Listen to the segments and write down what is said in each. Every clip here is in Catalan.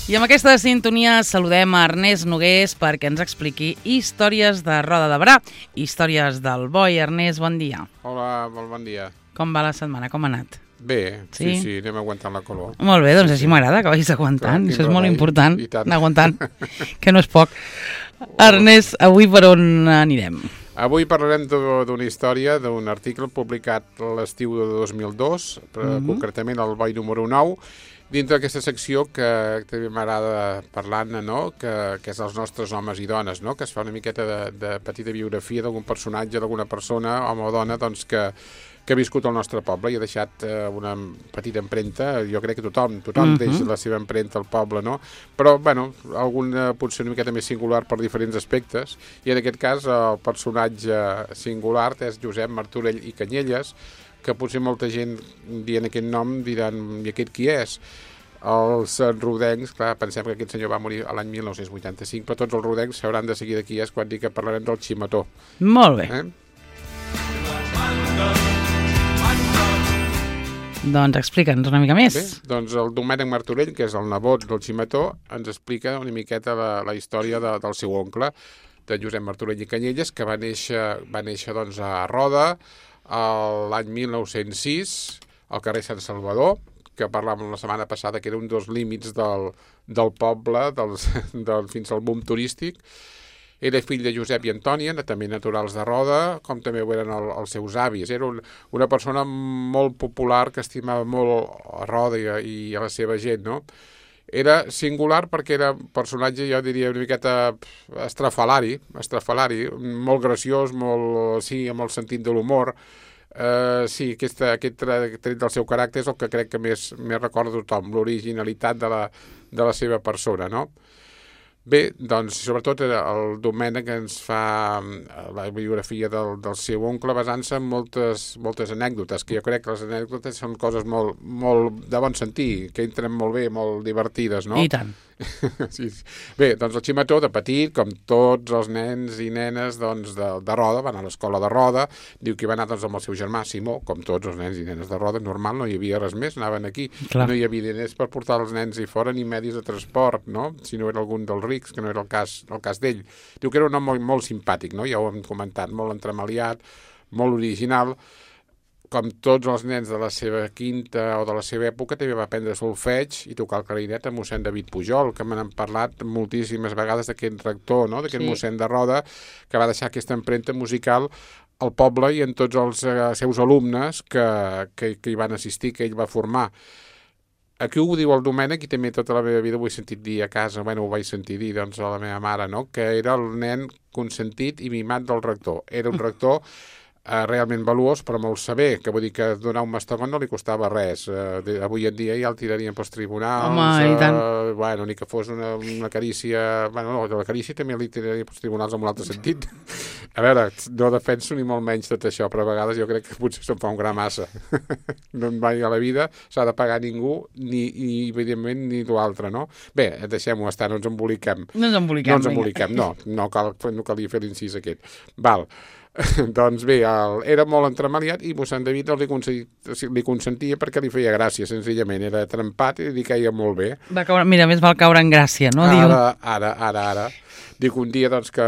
I amb aquesta sintonia saludem a Ernest Nogués perquè ens expliqui històries de Roda de Berà, històries del boi. Ernest, bon dia. Hola, molt bon dia. Com va la setmana? Com ha anat? Bé, sí, anem aguantant la calor. Molt bé, doncs així m'agrada que vagis aguantant. Això és molt important, anar aguantant, que no és poc. Ernest, avui per on anirem? Avui parlarem d'una història, d'un article publicat l'estiu de 2002, concretament el boi número 9, dintre d'aquesta secció que també m'agrada parlar-ne, no? que és els nostres homes i dones, no? Que es fa una miqueta de petita biografia d'algun personatge, d'alguna persona, home o dona, doncs, que ha viscut al nostre poble i ha deixat una petita empremta. Jo crec que tothom deixa la seva empremta al poble, no? Però, bueno, alguna potser una miqueta més singular per diferents aspectes, i en aquest cas el personatge singular és Josep Martorell i Canyelles, que potser molta gent dient aquest nom diran, i aquest qui és? Els rodencs, clar, pensem que aquest senyor va morir l'any 1985, però tots els rodencs sabran de seguida qui és quan dic que parlarem del Ximetó. Molt bé. Doncs explica'ns una mica més. Bé, doncs el Domènec Martorell, que és el nebot del Ximetó, ens explica una miqueta la història del seu oncle, de Josep Martorell i Canyelles, que va néixer doncs, a Roda l'any 1906, al carrer Sant Salvador, que parlàvem la setmana passada, que era un dels límits del poble, fins al boom turístic. Era fill de Josep i Antònia, també naturals de Roda, com també ho eren els seus avis. Era una persona molt popular que estimava molt a Roda i a la seva gent, no? Era singular perquè era un personatge, jo diria, una miqueta estrafalari, molt graciós, amb el sentit de l'humor. Sí, aquest tret del seu caràcter és el que crec que més recorda tothom, l'originalitat de la seva persona, no? Bé, doncs, sobretot el Domènec ens fa la biografia del seu oncle basant-se en moltes anècdotes, que jo crec que les anècdotes són coses molt de bon sentir, que entren molt bé, molt divertides, no? I tant. Sí. Bé, doncs el Ximetó, de petit, com tots els nens i nenes doncs, de Roda, va anar a l'escola de Roda, diu que va anar doncs, amb el seu germà Simó, com tots els nens i nenes de Roda, normal, no hi havia res més, anaven aquí. Clar. No hi havia diners per portar els nens i fora, ni medis de transport, no? Si no era algun dels rics, que no era el cas d'ell. Diu que era un home molt simpàtic, no? Ja ho hem comentat, molt entremaliat, molt original. Com tots els nens de la seva quinta o de la seva època, també va aprendre solfeig i tocar el clarinet a mossèn David Pujol, que m'han parlat moltíssimes vegades d'aquest rector, no? D'aquest mossèn de Roda, que va deixar aquesta empremta musical al poble i en tots els seus alumnes que hi van assistir, que ell va formar. Aquí ho diu el Domènec i també tota la meva vida ho he sentit dir a casa, ho vaig sentir dir doncs, a la meva mare, no? Que era el nen consentit i mimat del rector. Era un rector realment valuós, però molt saber, que vull dir que donar un mastegon no li costava res. Avui en dia ja el tirarien pels tribunals. Home, i tant. Ni que fos una carícia... No, la carícia també li tiraria pels tribunals en un altre sentit. A veure, no defenso ni molt menys tot això, però a vegades jo crec que potser se'n fa un gra massa. No mai a la vida s'ha de pagar ningú, ni evidentment ni l'altre, no? Bé, deixem-ho estar, no ens emboliquem. No calia fer l'incís aquest. Val. Doncs bé, era molt entremaliat i mossèn David li consentia perquè li feia gràcia, senzillament. Era trempat i li queia molt bé. Mira, més val caure en gràcia, no? Ara. Diu que un dia doncs, que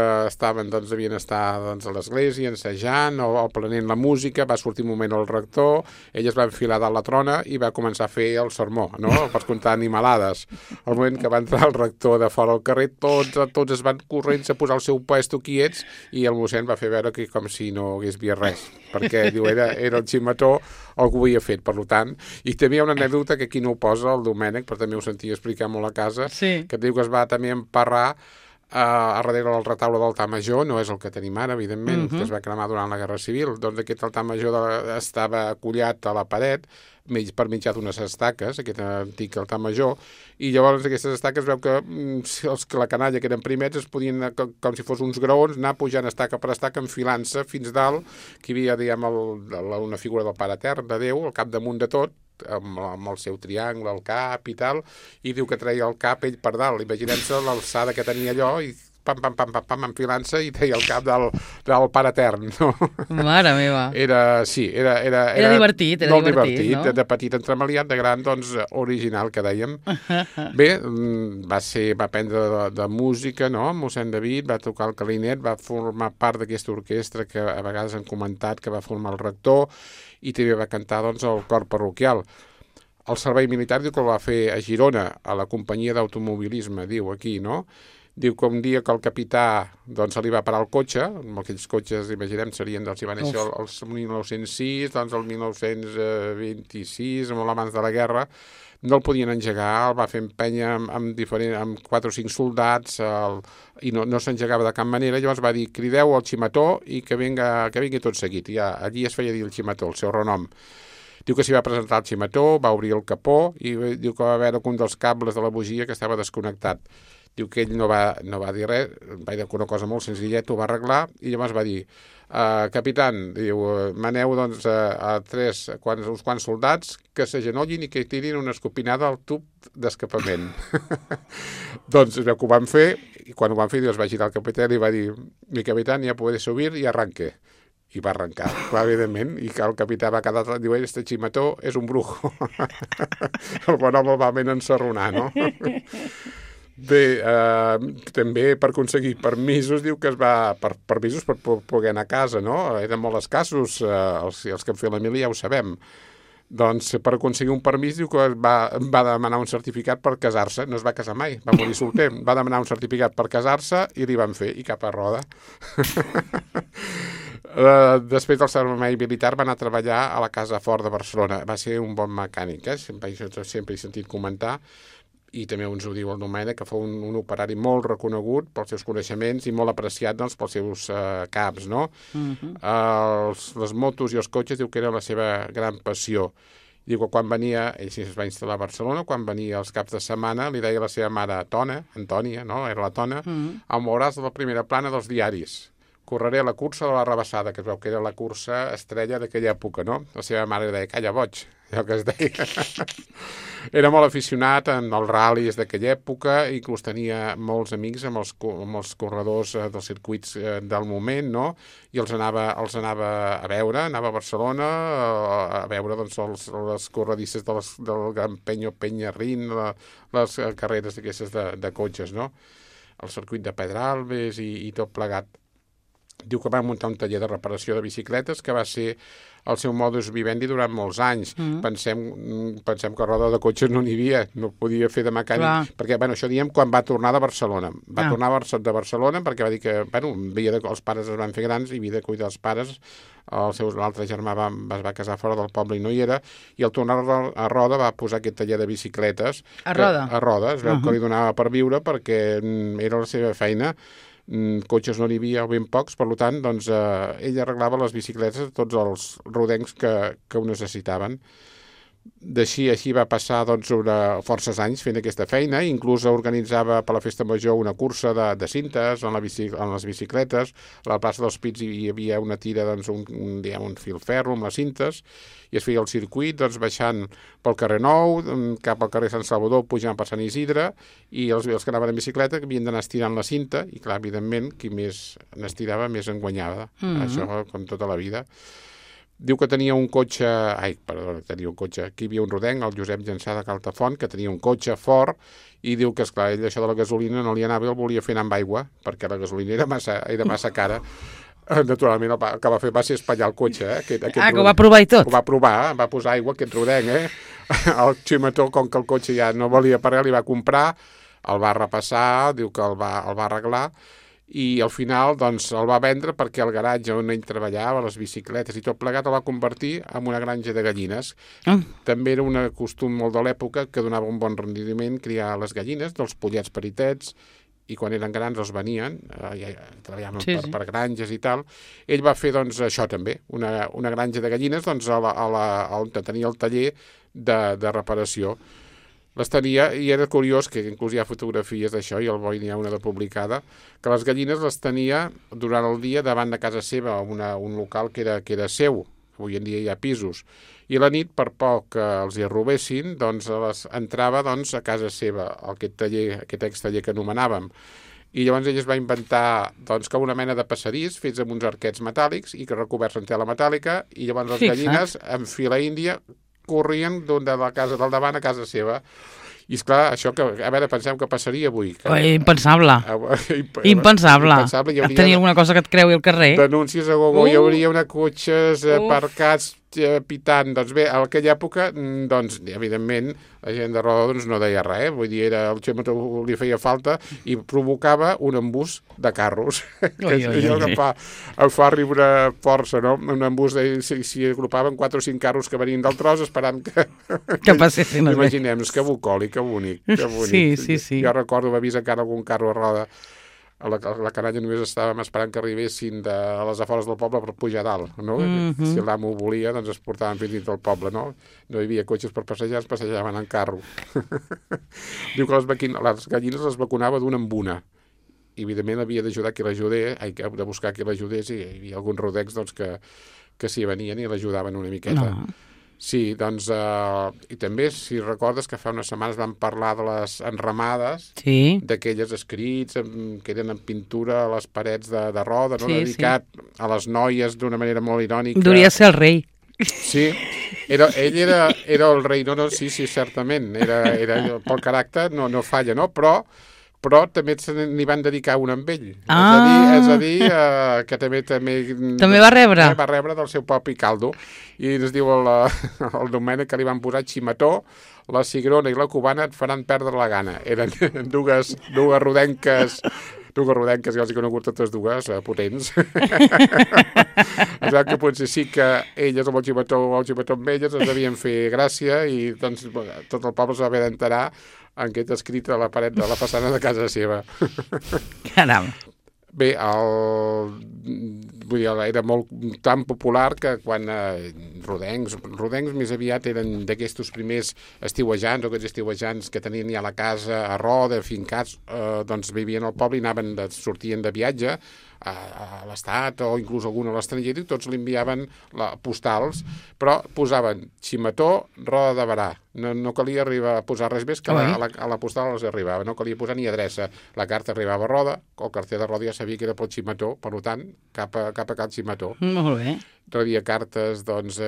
devien estar doncs, a l'església ensajant o aprenent la música, va sortir un moment el rector, ell es va enfilar dalt la trona i va començar a fer el sermó, no? Per contar animalades. Al moment que va entrar el rector de fora al carrer, tots es van corrents a posar el seu puesto quiets i el mossèn va fer veure que com si no hagués vist res, perquè diu, era el Ximetó el que ho havia fet, per tant. I també hi ha una anècdota que aquí no ho posa el Domènec, però també ho sentia explicar molt a casa, que diu que es va també emparrar a darrere del retaule del altar major, no és el que tenim ara, evidentment, que es va cremar durant la Guerra Civil. Doncs aquest altar major estava acollat a la paret per mitjà d'unes estaques, aquest antic altar major, i llavors aquestes estaques veu que la canalla que eren primers es podien, com si fos uns graons, anar pujant estaca per estaca, enfilant-se fins dalt, que hi havia, diguem, una figura del Pare Etern, de Déu, al capdamunt de tot, amb el seu triangle, el cap i tal, i diu que treia el cap ell per dalt. Imaginem-se l'alçada que tenia allò i pam, enfilant-se i treia el cap del Pare Etern, no? Mare meva. Era divertit, molt divertit, no? De petit entremaliat, de gran, doncs, original, que dèiem. Bé, va aprendre de música, no? Mossèn David, va tocar el clarinet, va formar part d'aquesta orquestra que a vegades han comentat que va formar el rector i també va cantar, doncs, el cor parroquial. El servei militar diu que el va fer a Girona, a la companyia d'automobilisme, diu aquí, no? Diu que un dia que el capità doncs, se li va parar el cotxe, amb aquells cotxes, imaginem, serien, doncs, hi va néixer el 1906, doncs el 1926, molt abans de la guerra, no el podien engegar, el va fer empènyer amb 4 o 5 soldats i no s'engegava de cap manera. Llavors va dir, crideu al ximató i que vingui tot seguit. I allí es feia dir el ximató, el seu renom. Diu que s'hi va presentar el ximató, va obrir el capó i diu que va veure que un dels cables de la bugia que estava desconnectat. Diu que ell no va dir res, va dir una cosa molt senzilleta, ho va arreglar i llavors va dir, capitán, diu, maneu doncs uns quants soldats que s'agenollin i que tirin una escopinada al tub d'escapament. Doncs veu que ho van fer i quan ho van fer es va girar el capità i va dir, mi capitán ya puede subir y arranque. I va arrencar, clar, evidentment, i que el capità va quedar, diu, este ximató és un brujo. El bon home el va ben ensarronar, no? Bé, també per aconseguir permisos, diu que permisos per poder anar a casa, no? Eren molt escassos, els que han fet la mili ja ho sabem. Doncs per aconseguir un permís diu que va demanar un certificat per casar-se, no es va casar mai, va morir solter, va demanar un certificat per casar-se i li van fer, i cap a roda. Després del servei militar va anar a treballar a la Casa Fort de Barcelona, va ser un bon mecànic, sempre he sentit comentar, i també ens ho diu el Domènec, que fou un operari molt reconegut pels seus coneixements i molt apreciat doncs, pels seus caps, no? Les motos i els cotxes diu que era la seva gran passió. Diu que quan venia, ell es va instal·lar a Barcelona, quan venia els caps de setmana li deia a la seva mare Antònia, no? Era la Tona, em veuràs a la primera plana dels diaris. Correré a la cursa de la Rabassada, que es veu que era la cursa estrella d'aquella època, no? La seva mare li deia, calla boig, allò que es deia. Era molt aficionat en els ral·lis d'aquella època, inclús tenia molts amics amb els corredors dels circuits del moment, no? I els anava a veure, anava a Barcelona a veure doncs, les corredisses del Gran Peñarrín, les carreres d'aquestes de cotxes, no? El circuit de Pedralbes i tot plegat. Diu que va muntar un taller de reparació de bicicletes que va ser el seu modus vivendi durant molts anys. Pensem que a roda de cotxes no n'hi havia, no podia fer de mecànic. Perquè, això diem quan va tornar de Barcelona. Va tornar de Barcelona perquè va dir que, els pares es van fer grans i havia de cuidar els pares. L'altre germà es va casar fora del poble i no hi era, i al tornar a Roda va posar aquest taller de bicicletes. A Roda? A Roda, es veu que li donava per viure perquè era la seva feina. Cotxes no n'hi havia, ben pocs, per tant, doncs, ell arreglava les bicicletes de tots els rodencs que ho necessitaven. Així va passar doncs, forces anys fent aquesta feina, inclús organitzava per la Festa Major una cursa de cintes en les bicicletes. A la plaça dels Pits hi havia una tira, doncs, un filferro amb les cintes, i es feia el circuit doncs, baixant pel carrer Nou, cap al carrer Sant Salvador, pujant per Sant Isidre, i els que anaven en bicicleta havien d'anar estirant la cinta, i clar, evidentment, qui més n'estirava, més en guanyava. Això, com tota la vida. Diu que tenia un cotxe... tenia un cotxe. Aquí hi havia un rodenc, el Josep Llançà de Caltafont, que tenia un cotxe fort, i diu que, esclar, ell això de la gasolina no li anava i el volia fer anar amb aigua, perquè la gasolina era massa cara. Naturalment, el que va fer va ser espatllar el cotxe. Que ho va provar i tot? Ho va provar, va posar aigua, aquest rodenc. El ximató, com que el cotxe ja no valia per res, li va comprar, el va repassar, diu que el va arreglar, i al final doncs, el va vendre perquè el garatge on ell treballava, les bicicletes i tot plegat, el va convertir en una granja de gallines. També era un costum molt de l'època que donava un bon rendiment criar les gallines, dels pollets peritets, i quan eren grans els venien, treballaven per granges i tal. Ell va fer doncs, això també, una granja de gallines doncs, on tenia el taller de reparació. Les tenia, i era curiós, que inclús hi ha fotografies d'això, i al Boi n'hi ha una de publicada, que les gallines les tenia durant el dia davant de casa seva, un local que era seu, avui en dia hi ha pisos, i a la nit, per poc que els hi robessin, doncs entrava a casa seva, aquest extaller que anomenàvem, i llavors ell es va inventar doncs, com una mena de passadís fets amb uns arquets metàl·lics i que recoberts en tela metàl·lica, i llavors les gallines en fila índia corrien de la casa del davant a casa seva. I esclar, això que, a veure, pensem que passaria avui. Impensable. Impensable. Tenir alguna cosa que et creui al carrer. Denúncies a gogo, hi hauria una cotxes aparcats pitant. Doncs bé, a aquella època, doncs, evidentment, la gent de Roda doncs, no deia res, vull dir, el xemoto li feia falta i provocava un embús de carros. Em fa riure força, no? Un embús, s'hi agrupaven 4 o 5 carros que venien del tros esperant que passessin. Imaginem-nos, que bucòlic, que bonic. Sí. Jo recordo haver vist encara algun carro a Roda. A la canalla només estàvem esperant que arribessin a les afores del poble per pujar dalt, no? Si l'amo ho volia, doncs es portaven fins dins del poble, no? No hi havia cotxes per passejar, es passejaven en carro. Diu que les gallines les vacunava d'una en una. I, evidentment, havia d'ajudar qui l'ajudés, de buscar qui l'ajudés, i hi havia alguns rodecs doncs, que s'hi venien i l'ajudaven una miqueta. No. Sí, doncs, i també, si recordes que fa unes setmanes vam parlar de les enramades, d'aquelles escrits que eren en pintura a les parets de Roda, no? Dedicat a les noies d'una manera molt irònica. Duria ser el rei. Sí, ell era el rei, no, sí, certament, pel caràcter no falla, no? Però també n'hi van dedicar un amb ell. És a dir, que també va rebre. Va rebre del seu propi caldo. I ens diu el Domènec que li van posar Ximetó, la cigrona i la cubana et faran perdre la gana. Eren dues rodenques, ja els he conegut totes dues, potents. Que potser sí que elles amb el Ximetó o el Ximetó amb elles es devien fer gràcia i doncs, tot el poble s'ha d'haver d'enterar en què està escrit a la paret de la façana de casa seva. Caram. Bé, era molt tan popular que quan rodencs més aviat eren d'aquests primers estiuejants, o aquests estiuejants que tenien ja la casa a Roda, fincats, doncs vivien al poble i sortien de viatge a l'Estat o inclús algun a l'estranger, i tots li enviaven postals, però posaven Ximetó, Roda de Berà. No calia arribar a posar res més, que a la postal els arribava, no calia posar ni adreça. La carta arribava a Roda, el carter de Roda ja sabia que era pel Ximetó, per tant, cap a cal Ximetó. Molt bé. Rebia cartes, doncs,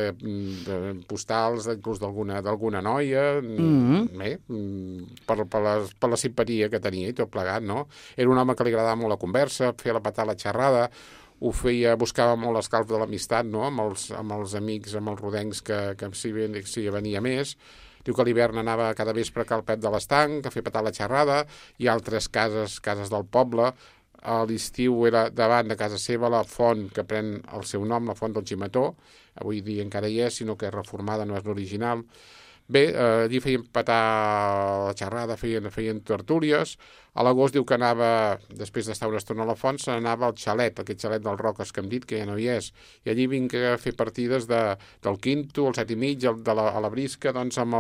postals, inclús d'alguna noia, bé, per la simpatia que tenia i tot plegat, no? Era un home que li agradava molt la conversa, feia la patada, la xerrada, buscava molt l'escalf de l'amistat, no?, amb els amics, amb els rodencs que s'hi venia més. Diu que a l'hivern anava cada vespre a Cal Pep de l'Estanc a fer petar la xerrada, i altres cases del poble. A l'estiu era davant de casa seva la font que pren el seu nom, la font del Ximetó. Avui dia encara hi és, sinó que és reformada, no és l'original. Bé, allí feien petar la xerrada, feien tertúlies. A l'agost diu que anava, després d'estar una estona a la font, se n'anava al xalet, aquest xalet del Roques que hem dit, que ja no hi és. I allí vinc a fer partides del quinto, el 7,5, a la brisca, doncs amb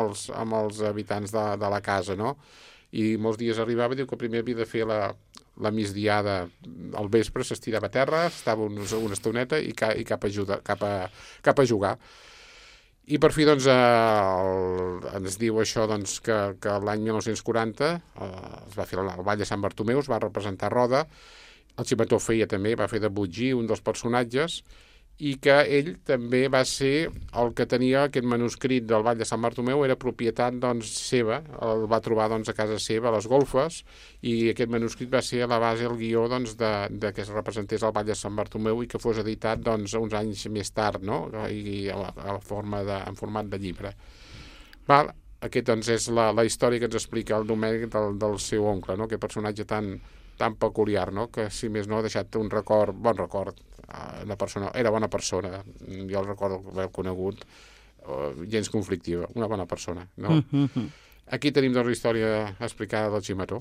els habitants de la casa, no? I molts dies arribava, diu que primer havia de fer la migdiada al vespre, s'estirava a terra, estava una estoneta i cap a jugar. I per fi, doncs, ens diu això, doncs, que l'any 1940 es va fer el Ball de Sant Bartomeu, es va representar a Roda, el Ximetó també va fer de Butgí, un dels personatges, i que ell també va ser el que tenia aquest manuscrit del Ball de Sant Bartomeu, era propietat, doncs, seva, el va trobar, doncs, a casa seva, a les golfes, i aquest manuscrit va ser a la base, el guió, doncs, de que es representés el Ball de Sant Bartomeu i que fos editat, doncs, uns anys més tard, no?, i en format de llibre. Val? Aquest, doncs, és la història que ens explica el Domènec del seu oncle, no?, aquest personatge tan peculiar, no?, que, si més no, ha deixat un bon record. Era bona persona, jo el recordo haver conegut, gens conflictiva, una bona persona, no? Aquí tenim, doncs, la història explicada del Ximetó.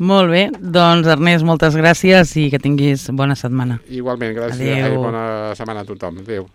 Molt bé, doncs, Ernest, moltes gràcies i que tinguis bona setmana. Igualment, gràcies. Adéu. Bona setmana a tothom. Adéu.